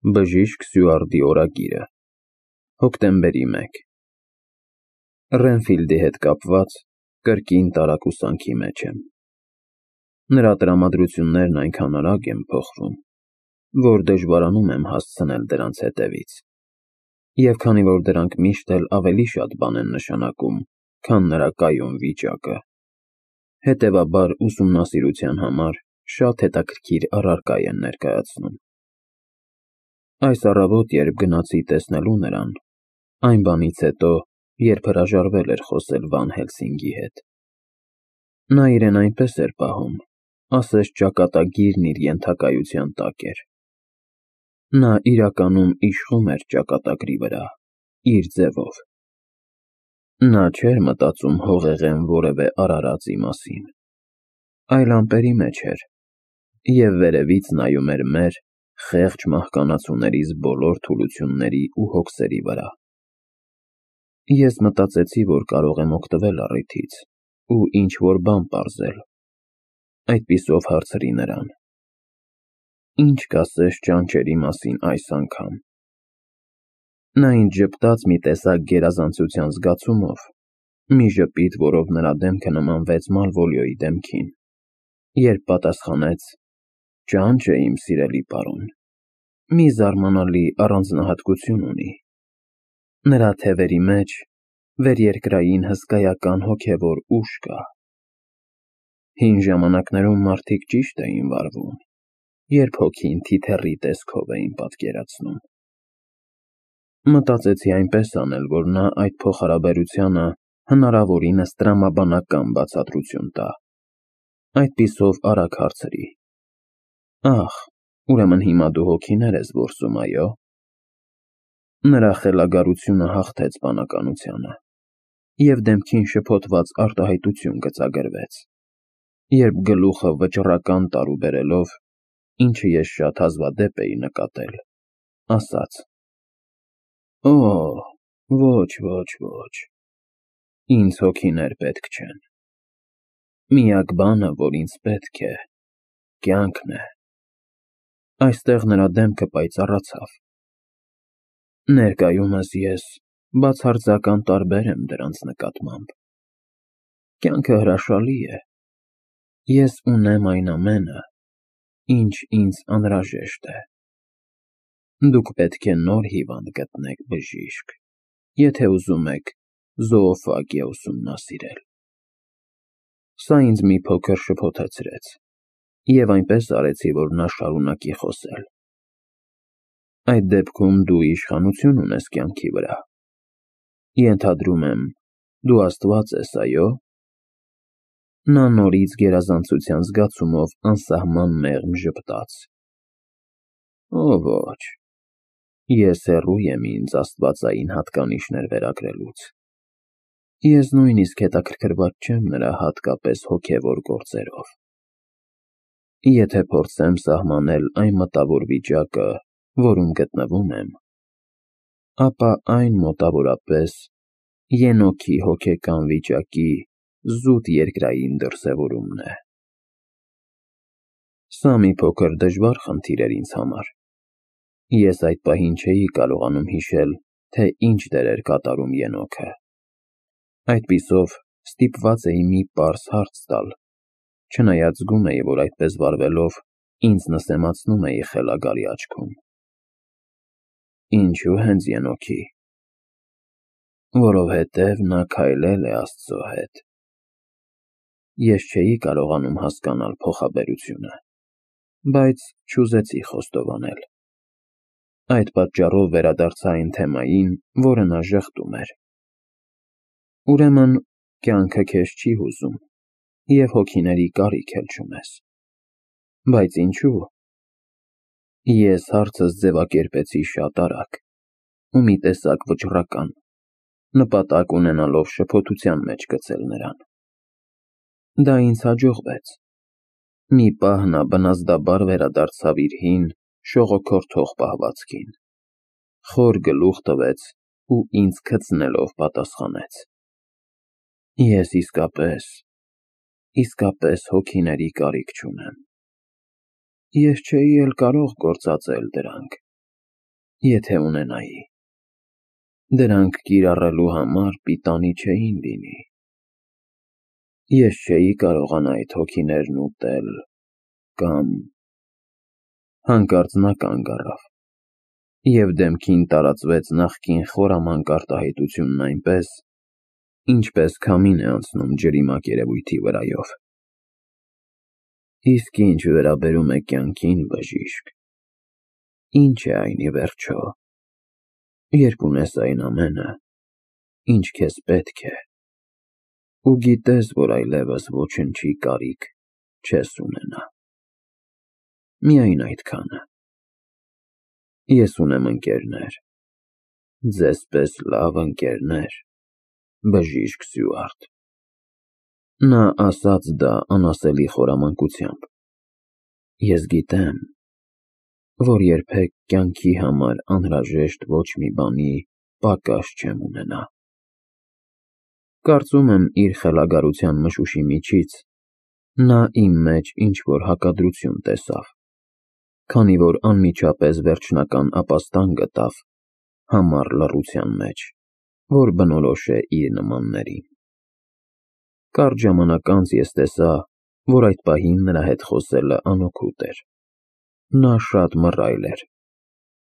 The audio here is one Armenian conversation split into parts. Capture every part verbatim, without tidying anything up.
Բժիշկ Սյուարտի օրագիրը, հոկտեմբերի մեկ Ռենֆիլդի հետ կապված կրկին տարակուսանքի մեջ եմ։ Նրա տրամադրություններն այնքան արագ են փոխվում, որ դժվարանում եմ հասցնել դրանց հետևից, և քանի որ դրանք միշտ էլ ավելի շատ բան են նշանակում, քան նրա կայուն վիճակը, հետևաբար ուսումնասիրության համար շատ հետաքրքիր առարկա են ներկայացնում։ Այս առավոտ, երբ գնացի տեսնելու նրան, այն բանից հետո, երբ հրաժարվել էր խոսել Վան Հելսինգի հետ, նա իրեն այնպես էր պահում, ասես ճակատագիրն իր ենթակայության տակ էր։ Նա իրականում իշխում էր ճակատագրի վրա, իր ձևով։ Նա չէր մտածում հողեղեն որևէ արարածի մասին, այլ ամպերի մեջ էր, և վերևից նայում էր մեր խեղճ մահկանացուներիս բոլոր թուլությունների ու հոգսերի վրա։ Ես մտածեցի, որ կարող եմ օգտվել առիթից ու ինչ-որ բան պարզել, այդպիսով հարցրի նրան. «Ինչ կասես ճանճերի մասին այս անգամ»։ Նա ինձ ժպտաց մի տեսակ գերազանցության զգացումով, մի ժպիտ, որով նրա դեմքը նմանվեց Մալվոլիոյի դեմքին, երբ պատասխանեց. «Ճանճը, իմ սիրելի պարոն, մի զարմանալի առանձնահատկություն ունի. նրա թևերի մեջ վերերկրային հսկայական հոգևոր ուժ կա։ Հին ժամանակներում մարդիկ ճիշտ էին վարվում, երբ հոգին թիթեռի տեսքով էին պատկերացնում»։ Մտածեցի այնպես անել, որ նա այդ փոխհարաբերությանը հնարավորինս տրամաբանական բացատրություն տա, այդպիսով արագ հարցրի. «Ախ, ուրեմն հիմա դու հոգիներ ես որսում, այո»։ Նրա խելագարությունը հաղթեց բանականությանը, և դեմքին շփոթված արտահայտություն գծագրվեց, երբ գլուխը վճռական տարուբերելով, ինչը ես շատ հազվադեպ էի նկատել, ասաց. «Օ, ոչ, ոչ, ոչ, ինձ հոգիներ պետք չեն։ Միակ բանը, որ ինձ պետք է, կյանքն է»։ Այստեղ նրա դեմքը պայծառացավ։ Ներկայումս ես բացարձակական տարբեր եմ դրանց նկատմամբ։ Կյանքը հրաշալի է։ Ես ունեմ այն ամենը, ինչ ինձ անհրաժեշտ է։ Դուք պետք է նոր հիվանդ գտնեք, բժիշկ, եթե ուզում եք զոոֆագիա ուսումնասիրել։ Սա ինձ մի փոքր շփոթեցրեց, և այնպես արեցի, որ նա շարունակի խոսել։ Այդ դեպքում դու իշխանություն ունես կյանքի վրա։ Ենթադրում եմ, դու աստված ես, այո՞։ Նա նորից գերազանցության զգացումով անսահման մեղմ ժպտաց։ Օ, ոչ, ես հեռու եմ ինձ աստվածային հատկանիշներ վերագրելուց։ Ես նույնիսկ հետաքրքրված չեմ նրա հատկապես հոգևոր գործերով։ Եթե փորձեմ սահմանել այն մտավոր վիճակը, որում գտնվում եմ, ապա այն մոտավորապես Ենոքի հոգեկան վիճակի զուտ երկրային դրսևորումն է։ Սա մի փոքր դժվար խնդիր էր ինձ համար։ Ես այդ պահին չէի կարողանում հիշել, թե ինչ դեր էր կատարում Ենոքը։ Այդպիսով ստիպված էի մի պարզ հարց տալ, չնայած զգում էի, որ այդպես վարվելով ինձ նսեմացնում էի խելագարի աչքում։ Ինչո՞ւ հենց Ենոքի։ Որովհետև նա քայլել է Աստծո հետ։ Ես չէի կարողանում հասկանալ փոխաբերությունը, բայց չուզեցի խոստովանել։ Այդ պատճառով վերադարձա այն թեմային, որը նա ժխտում էր։ Ուրեմն, կյանքը քեզ չի հուզում, և հոգիների կարիք էլ չունես։ Բայց ինչու՞։ Ես հարցս ձևակերպեցի շատ արագ ու մի տեսակ վճռական, նպատակ ունենալով շփոթության մեջ գցել նրան։ Դա ինձ հաջողվեց։ Մի պահ նա բնազդաբար վերադարձավ իր հին, շողոքորթող պահվածքին, խոր գլուխ տվեց ու ինձ քծնելով պատասխանեց. Ես իսկապես, իսկապես հոգիների կարիք չունեմ։ Ես չէի էլ կարող գործածել դրանք, Եթե ունենայի։ Դրանք կիրառելու համար պիտանի չէին լինի։ Ես չէի կարողանա այդ հոգիներն ուտել կամ… Հանկարծ նա կանգ առավ, և դեմքին տարածվեց նախկին խորամանկ արտահայտությունն այնպես, ինչպես քամին է անցնում ջրի մակերևույթի վրայով։ Իսկ ինչ վերաբերում է կյանքին, բժիշկ, ինչ է այն ի վերջո, երբ ունես այն ամենը, ինչ քեզ պետք է, ու գիտես, որ այլևս ոչնչի կարիք չես ունենա։ Միայն այդքանը։ Ես ունեմ ընկերներ, ձեզ պես լավ ընկերներ, բժիշկ Սյուարտ։ Նա ասաց դա անասելի խորամանկությամբ։ Ես գիտեմ, որ երբեք կյանքի համար անհրաժեշտ ոչ մի բանի պակաս չեմ ունենա։ Կարծում եմ, իր խելագարության մշուշի միջից նա իմ մեջ ինչ-որ հակադրություն տեսավ, քանի որ անմիջապես վերջնական ապաստան գտավ համառ լռության մեջ, որ բնորոշ է իր նմաններին։ Կարճ ժամանակ անց ես տեսա, որ այդ պահին նրա հետ խոսելը անօգուտ էր։ Նա շատ մռայլ էր։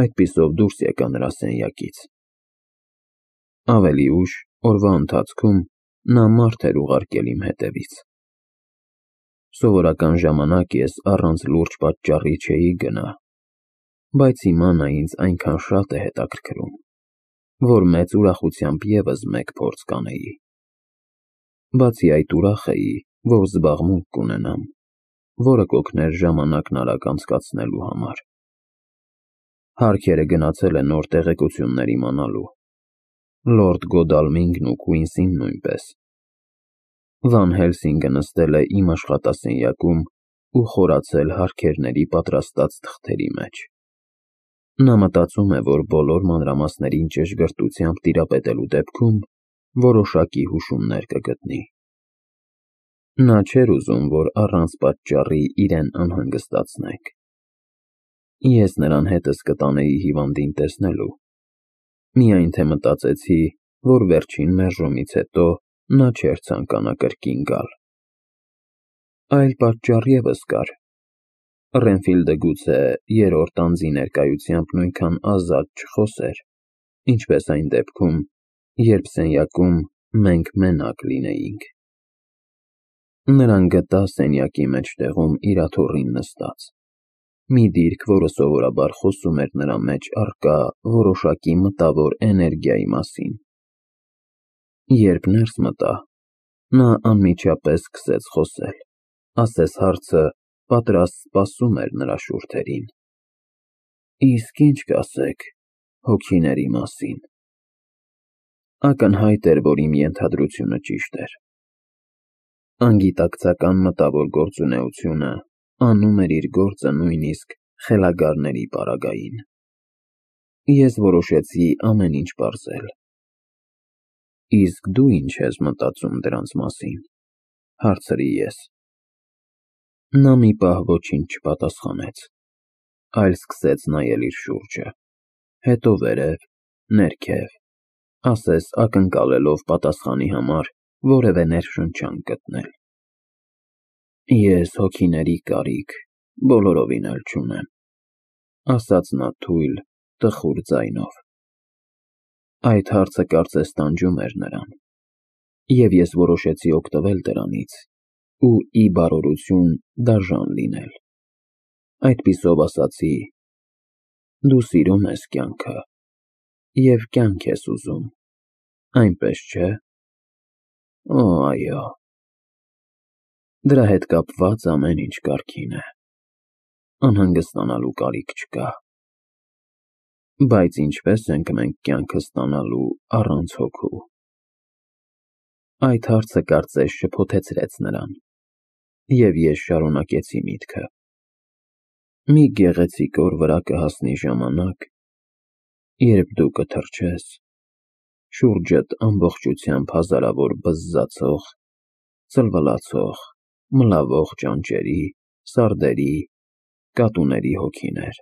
Այդպիսով դուրս եկա նրա սենյակից։ Ավելի ուշ, օրվա ընթացքում, նա մարդ էր ուղարկել իմ հետևից։ Սովորական ժամանակ ես առանց լուրջ պատճառի չէի գնա, բայց հիմա նա ինձ այնքան շատ է հետաքրքրում, որ մեծ ուրախությամբ ևս մեկ փորձ կանեի։ Բացի այդ, ուրախ էի, որ զբաղմունք կունենամ, որը կօգներ ժամանակն արագ անցկացնելու համար։ Հարքերը գնացել է նոր տեղեկություններ իմանալու, լորդ Գոդալմինգն ու Քուինսին նույնպես։ Վան Հելսինգը նստել է իմ աշխատասենյակում ու խորացել հարքերների պատրաստած թղթերի մեջ։ Նա մտածում է, որ բոլոր մանրամասներին ճշգրտությամբ տիրապետելու դեպքում որոշակի հուշումներ կգտնի։ Նա չէր ուզում, որ առանց պատճառի իրեն անհանգստացնենք։ Ես նրան հետս կտանեի հիվանդին տեսնելու, միայն թե մտածեցի, որ վերջին մերժումից հետո նա չէր ցանկանա կրկին գալ։ Այլ պատճառ ևս կար։ Ռենֆիլդը գուցե երրորդ անձի ներկայությամբ նույնքան ազատ չխոսեր, ինչպես այն դեպքում, երբ սենյակում մենք մենակ լինեինք։ Նրան գտա սենյակի մեջտեղում իր աթոռին նստած, մի դիրք, որը սովորաբար խոսում էր նրա մեջ առկա որոշակի մտավոր էներգիայի մասին։ Երբ ներս մտա, նա անմիջապես սկսեց խոսել, ասես հարցը պատրաստ սպասում էր նրա շուրթերին։ Իսկ ինչ կասեք հոգիների մասին։ Ակնհայտ էր, որ իմ ենթադրությունը ճիշտ էր։ Անգիտակցական մտավոր գործունեությունը անում էր իր գործը նույնիսկ խելագարների պարագային։ Ես որոշեցի ամեն ինչ պարզել։ Իսկ դու ինչ ես մտածում դրանց մասին, հարցրի ես։ Նա մի պահ ոչինչ չպատասխանեց, այլ սկսեց նայել իր շուրջը, հետո վերև, ներքև, ասես ակնկալելով պատասխանի համար որևէ ներշնչանք գտնել։ Ես հոգիների կարիք բոլորովին էլ չունեմ, ասաց նա թույլ, տխուր ձայնով։ Այդ հարցը կարծես տանջում էր նրան, և ես որոշեցի օգտվել դրանից ու ի բարօրություն դաժան լինել։ Այդպիսով ասացի. դու սիրում ես կյանքը և կյանք ես ուզում, այնպես չէ՞։ Օ, այո։ Դրա հետ կապված ամեն ինչ կարգին է, անհանգստանալու կարիք չկա։ Բայց ինչպե՞ս ենք մենք կյանքը ստանալու առանց հոգու։ Այդ հարցը կարծես շփոթեցրեց նրան, և ես շարունակեցի միտքը։ Մի գեղեցիկ օր վրա կհասնի ժամանակ, երբ դու կթրջես, շուրջդ ամբողջությամբ հազարավոր բզզացող, ծլվլացող, մլավող ճանճերի, սարդերի, կատուների հոգիներ։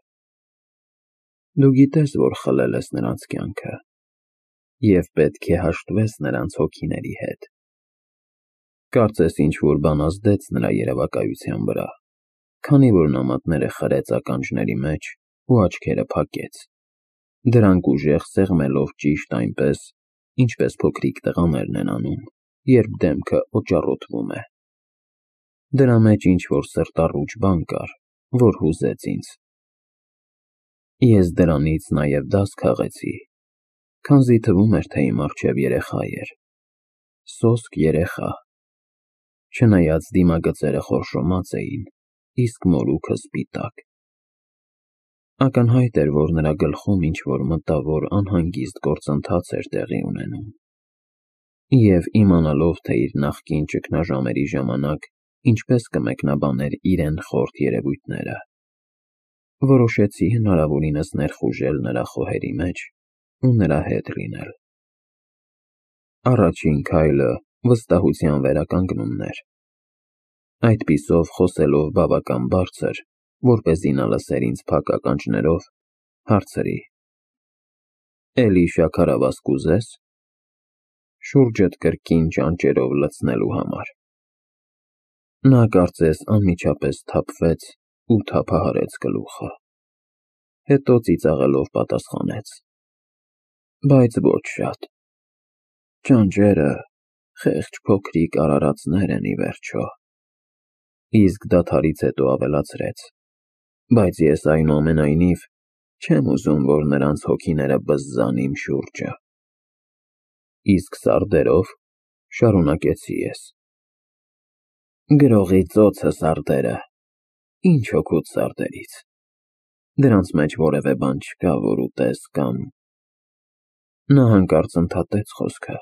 Դու գիտես, որ խլել ես նրանց կյանքը և պետք է հաշտվես նրանց հոգիների հետ։ Կարծես ինչ-որ բան ազդեց նրա երևակայության վրա, քանի որ նա մատները խրեց ականջների մեջ ու աչքերը փակեց, դրանք ուժեղ սեղմելով ճիշտ այնպես, ինչպես փոքրիկ տղաներն են անում, երբ դեմքը օճառոտվում է։ Դրա մեջ ինչ-որ սրտառուչ բան կար, որ հուզեց ինձ։ Ես դրանից նաև դաս քաղեցի, քանզի թվում էր, թե իմ առջև երեխա էր, սոսկ երեխա, չնայած դիմագծերը խորշոմած էին, իսկ մորուքը սպիտակ։ Ակնհայտ էր, որ նրա գլխում ինչ-որ մտավոր անհանգիստ գործընթաց էր տեղի ունենում, և իմանալով, թե իր նախկին ճգնաժամերի ժամանակ ինչպես կմեկնաբաներ իրեն խորթ երևույթները, որոշեցի հնարավորինս ներխուժել նրա խոհերի մեջ ու նրա հետ լինել։ Առաջին քայլը վստահության վերականգնումն էր, այդպիսով խոսելով բավական բարձր, որպեսզի նա լսեր ինձ փակ ականջներով, հարցրի. «Էլի շաքարավազ կուզե՞ս»։ Շուրջդ կրկին ճանճերով լցնելու համար։ Նա կարծես անմիջապես սթափվեց ու թափահարեց գլուխը, հետո ծիծաղելով պատասխանեց. «Բայց ոչ շատ։ Ճանճերը խեղճ փոքրիկ արարածներ են, ի վերջո»։ Իսկ դադարից հետո ավելացրեց. «Բայց ես այնուամենայնիվ չեմ ուզում, որ նրանց հոգիները բզզան իմ շուրջը»։ Իսկ սարդերով, շարունակեցի ես, «Գրողի ծոցը սարդերը, ինչ օգուտ սարդերից, դրանց մեջ որևէ բան չկա, որ ուտես կամ…»։ Նա հանկարծ ընդհատեց խոսքը,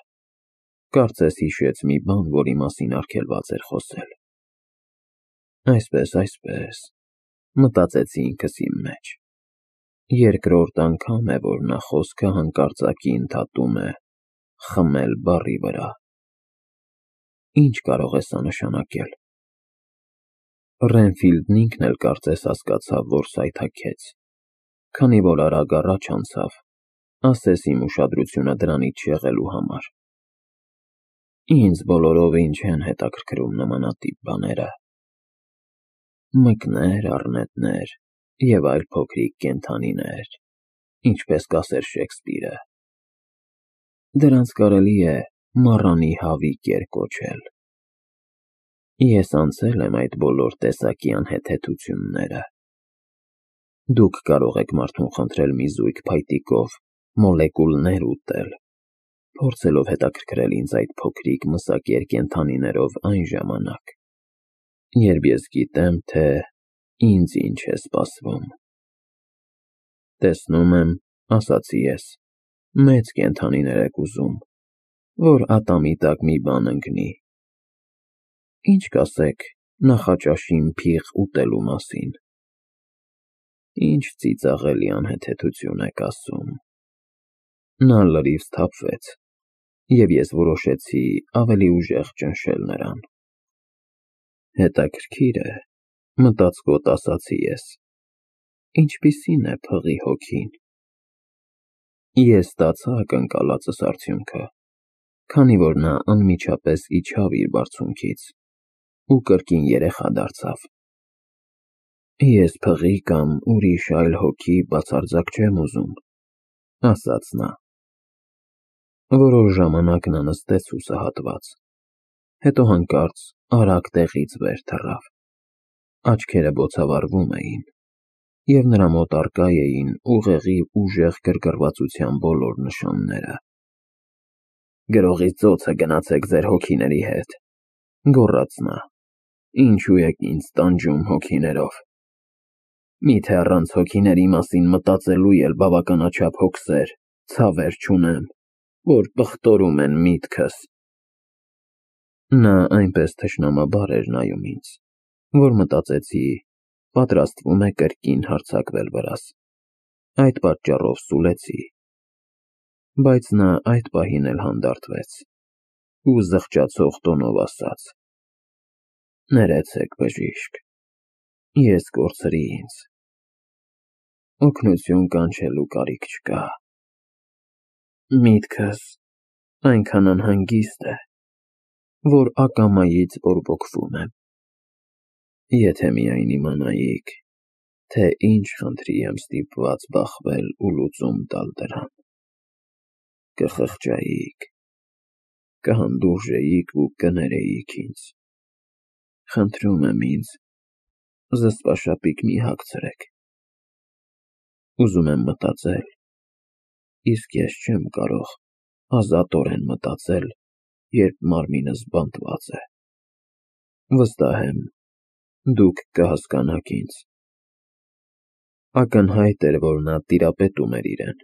կարծես հիշեց մի բան, որի մասին արգելված էր խոսել։ Այսպես, այսպես, մտածեցի ինքս իմ մեջ, երկրորդ անգամ է, որ նա խոսքը հանկարծակի ընդհատում է «խմել» բառի վրա։ Ինչ կարող է սա նշանակել։ Ռենֆիլդն ինքն էլ կարծես հասկացավ, որ սայթաքեց, քանի որ արագ առաջ անցավ, ասես իմ ուշադրությունը դրանից շեղելու համար։ Ինձ բոլորովին չեն հետաքրքրում նմանատիպ բաները։ Մկներ, առնետներ և այլ փոքրիկ կենդանիներ, ինչպես կասեր Շեքսպիրը։ Դրանց կարելի է մառանի հավիք կոչել։ Ես անցել եմ այդ բոլոր տեսակի անհեթեթությունները։ Դուք կարող եք մարդուն խնդրել մի զույգ փայտիկով մոլեկուլներ ուտել, փորձելով հետաքրքրել ինձ այդ փոքրիկ մսակեր կենդանիներով այն ժամանակ, երբ ես գիտեմ, թե ինձ ինչ է սպասվում։ Տեսնում եմ, ասացի ես, մեծ կենդանիներ եք ուզում, որ ատամի տակ մի բան ընկնի։ Ինչ կասեք նախաճաշին փիղ ուտելու մասին։ Ինչ ծիծաղելի անհեթեթություն եք ասում։ Նա լրիվ սթափվեց, և ես որոշեցի ավելի ուժեղ ճնշել նրան։ Հետաքրքիր է, մտածկոտ ասացի ես, ինչպիսի՞ն է փղի հոգին։ Ես ստացա ակնկալածս արդյունքը, քանի որ նա անմիջապես իջավ իր բարձունքից ու կրկին երեխա դարձավ։ Ես փղի կամ ուրիշ այլ հոգի բացարձակ չեմ ուզում, ասաց նա։ Որոշ ժամանակ նա նստեց հուսահատված, հետո հանկարծ արագ տեղից վեր թռավ, աչքերը բոցավառվում էին, և նրա մոտ առկա էին ուղեղի ուժեղ գրգռվածության բոլոր նշանները։ «Գրողի ծոցը գնացեք ձեր հոգիների հետ», գոռաց նա, «ինչու եք ինձ տանջում հոգիներով։ Միթե առանց հոգիների մասին մտածելու էլ բավականաչափ հոգսեր, ցավեր չունեմ, որ պղտորում են միտքս»։ Նա այնպես թշնամաբար էր նայում ինձ, որ մտածեցի, պատրաստվում է կրկին հարձակվել վրաս։ Այդ պատճառով սուլեցի։ Բայց նա այդ պահին էլ հանդարտվեց ու զղջացող տոնով ասաց. «Ներեցեք, բժիշկ, ես կորցրի ինձ»։ օգնություն կանչելու կարիք չկա։ Միտքս այնքան անհանգիստ է, որ ակամայից բորբոքվում եմ։ Եթե միայն իմանայիք, թե ինչ խնդրի եմ ստիպված բախվել ու լուծում տալ դրան, կխղճայիք, կհանդուրժեիք ու կներեիք ինձ։ Խնդրում եմ ինձ, զսպաշապիկ մի հագցրեք։ Ուզում եմ մտածել, իսկ ես չեմ կարող ազատորեն մտածել, երբ մարմինս բանտված է։ Վստահ եմ, դուք կհասկանաք ինձ։ Ակնհայտ էր, որ նա տիրապետում էր իրեն։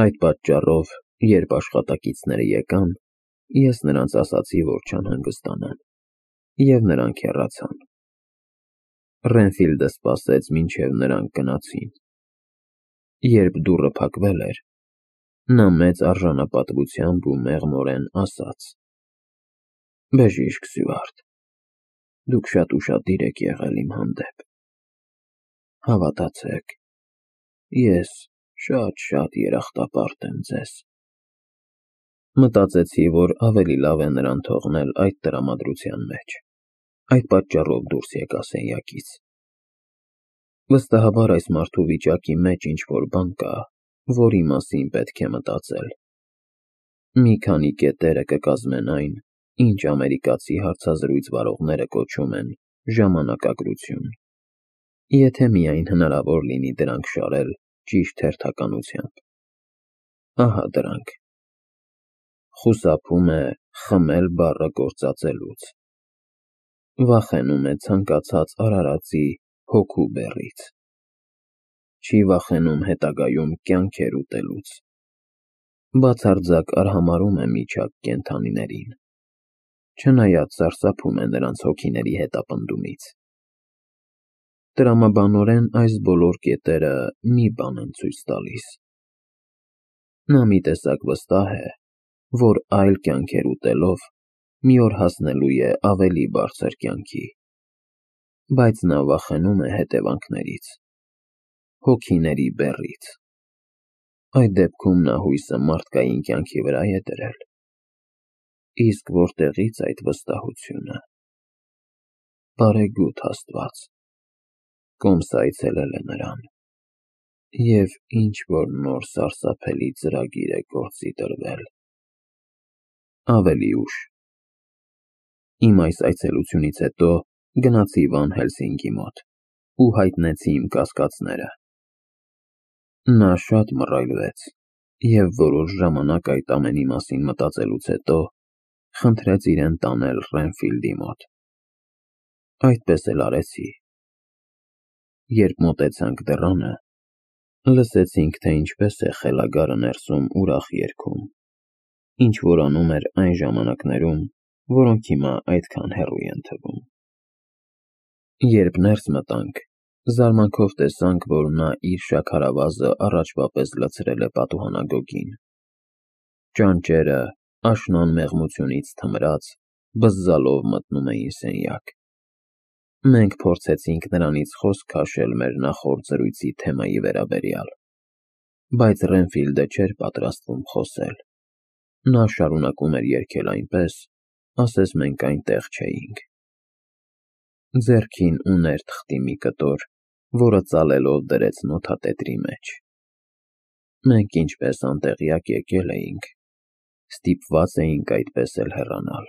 Այդ պատճառով, երբ աշխատակիցները եկան, ես նրանց ասացի, որ չանհանգստանան, և նրանք հեռացան։ Ռենֆիլդը սպասեց, մինչև նրանք գնացին։ Երբ դուռը փակվել էր, նա մեծ արժանապատվությամբ ու մեղմորեն ասաց. «Բժիշկ Սյուարտ, դուք շատ ուշադիր եք եղել իմ հանդեպ։ Հավատացեք, ես շատ-շատ երախտապարտ եմ ձեզ»։ Մտածեցի, որ ավելի լավ է նրան թողնել այդ տրամադրության մեջ, այդ պատճառով դուրս եկա սենյակից։ Վստահաբար այս մարդու վիճակի մեջ ինչ-որ բան կա, որի մասին պետք է մտածել։ Մի քանի կետերը կկազմեն այն, ինչ ամերիկացի հարցազրույց վարողները կոչում են ժամանակագրություն, եթե միայն հնարավոր լինի դրանք շարել ճիշտ հերթականությամբ։ Ահա դրանք. խուսափում է խմել բառը գործածելուց, վախենում է ցանկացած արարածի հոգու բեռից, չի վախենում հետագայում կյանքեր ուտելուց, բացարձակ արհամարհում է միջակ կենդանիներին, չնայած սարսափում է նրանց հոգիների հետապնդումից։ Տրամաբանորեն այս բոլոր կետերը մի բան են ցույց տալիս. նա մի տեսակ վստահ է, որ այլ կյանքեր ուտելով մի օր հասնելու է ավելի բարձր կյանքի, բայց նա վախենում է հետևանքներից, հոգիների բեռից։ Այդ դեպքում նա հույսը մարդկային կյանքի վրա է դրել։ Իսկ որտեղի՞ց այդ վստահությունը։ Բարեգութ Աստված, կոմս այցելել է նրան, և ինչ-որ նոր սարսափելի ծրագիր է գործի դրվել։ Ավելի ուշ։ Իմ այս այցելությունից հետո գնացի Վան Հելսինգի մոտ ու հայտնեցի իմ կասկածները։ Նա շատ մռայլվեց և որոշ ժամանակ այդ ամենի մասին մտածելուց հետո խնդրեց իրեն տանել Ռենֆիլդի մոտ։ Այդպես էլ արեցի։ Երբ մոտեցանք դռանը, լսեցինք, թե ինչպես է խելագարը ներսում ուրախ երգում, ինչ-որ անում էր այն ժամանակներում, որոնք հիմա այդքան հեռու են թվում։ Երբ ներս մտանք, զարմանքով տեսանք, որ նա իր շաքարավազը առաջվա պես լցրել է պատուհանագոգին։ Ճանճերը, աշնան մեղմությունից թմրած, բզզալով մտնում էին սենյակ։ Մենք փորձեցինք նրանից խոսք քաշել մեր նախորդ զրույցի թեմայի վերաբերյալ, բայց Ռենֆիլդը չէր պատրաստվում խոսել։ Նա շարունակում էր երգել այնպես, ասես մենք այնտեղ չէինք։ Ձեռքին ուներ թղթի մի կտոր, որը ծալելով դրեց նոթատետրի մեջ։ Մենք ինչպես անտեղյակ եկել էինք, ստիպված էինք այդպես էլ հեռանալ։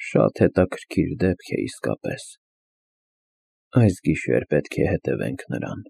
Շատ հետաքրքիր դեպք է իսկապես։ Այս գիշեր պետք է հետևենք նրան։